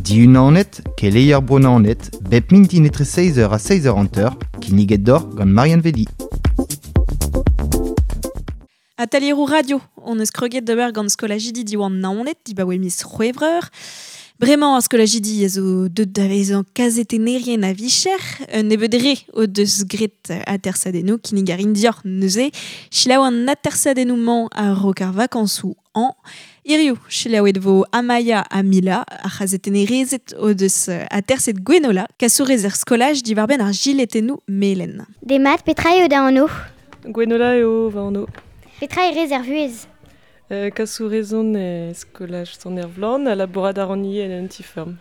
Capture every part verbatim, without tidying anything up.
Diunanet, keleier bro Naoned, bep mintin etre seizh eur ha seizh eur hanter, kinniget deoc'h gant Marianne Velli. Atelieroù radio, on eus kroget d'ober gant skolajidi Diwan Naoned, dibaoe miz C'hwevrer. Bremañ ar skolajidi a zo deut da vezañ kazetennerien a vicher, un nebeud re o deus graet atersadennoù kinnig a rin deoc'h neuze, selaou an atersadennoù-mañ a-raok ar vakañsoù hañv. Hiziv, selaouet vo Amaya ha Mila, ar c'hazetennerezed o deus aterset Gwenola, kasourez er skolaj diwar-benn ar jiletennoù melen. Demat, petra eo da anv? Gwenola eo va anv. Petra e rez er vuhez? Euh, kasourez on e skolaj Sant-Ervlan ha labourat a ran ivez en un ti-feurm.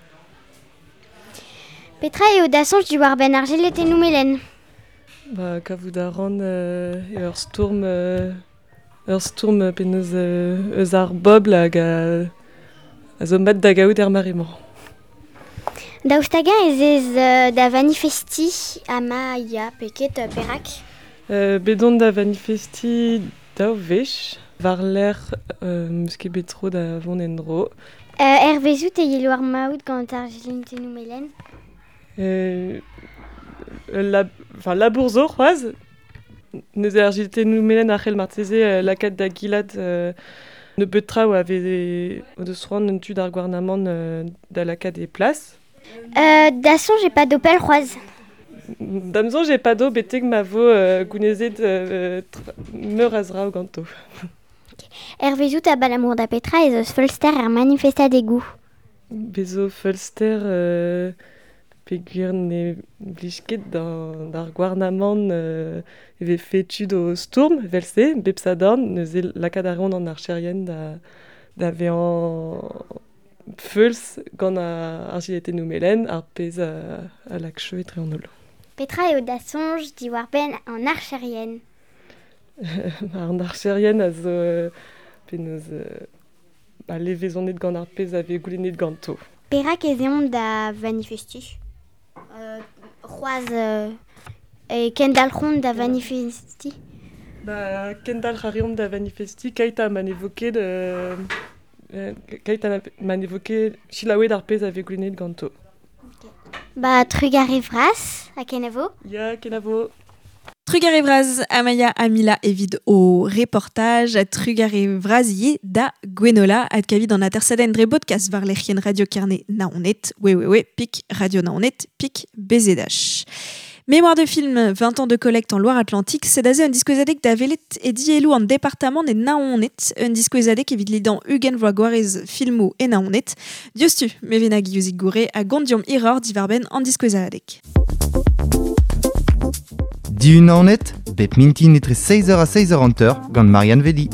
Petra eo da soñj diwar-benn ar jiletennoù melen? Ba, kavout a ran euh, eo ur stourm, euh, ur stourm penaos euh, eus ar bobl hag a, a zo mat da gaout er mare-mañ. Daoust hag-eñ ez ez euh, da vanifestiñ ama ya pe ket euh, perak? Euh, bet on da vanifestiñ daou wech, war-lerc'h euh, 'm eus ket bet tro da vont en-dro. Euh, hervezout e yelo ar maout gant ar jiletennoù melen? Euh, lab, enfin, labour zo c'hoazh, neuze ar jiletennoù melen a c'hell marteze euh, lakaat da gilat euh, nebeut traoù a veze o deus c'hoant un tu d'ar gouarnamant euh, da lakaat e plas. Euh, da soñj e pado pell c'hoazh? Da'm soñj e pado betek ma vo euh, gounezet euh, tra- meur a zraoù ganto. Hervezout abalamour da petra ez eus feulster er manifestadegoù? Bez zo feulster euh, peogwir ne blij ket d'an- d'ar gouarnamant euh, e vefe tud o stourm evel-se, bep sadorn, neuze lakaat a reont an archerien da, da vezañ feuls gant ar, ar jiletennoù melen, ar pezh a, a lak cheu etre an holl. Petra eo da soñj diwar-benn an archerien? An archerien a zo euh, penaos euh, ba, levezonet gant ar pezh a vez goulennet ganto. Perak ez eont da vanifestiñ? Euh, c'hoazh euh, e kendalc'hont da vanifestiñ? Ba, kendalc'h a reomp da vanifestiñ keit ha ma ne vo ket, euh, euh, keit ha ma ne vo ket selaouet ar pezh a vez goulennet ganto. Ba, trugarez vras, ha kenavo? Ya, kenavo. Trugarez vras Amaya ha Mila evit o reportaj, trugarez vras ivez da Gwenola adkavit an atersadenn dre bodkast war lec'hienn Radio Kerne Naoned, www pik radio naoned pik bzh. Mémoire de film, vingt ans de collecte en Loire-Atlantique, sed aze un diskouezadeg da welet e dielloù an departamant e Naoned, un diskouezadeg evit lidañ ugent vloaz gwarez filmoù e Naoned. Diouzhtu, Mevena Guillouzic-Gouré a gont deomp hiroc'h diwar-benn an diskouezadeg. Diunanet, bep mintin etre seizh eur ha seizh eur hanter gant Marianne Velli.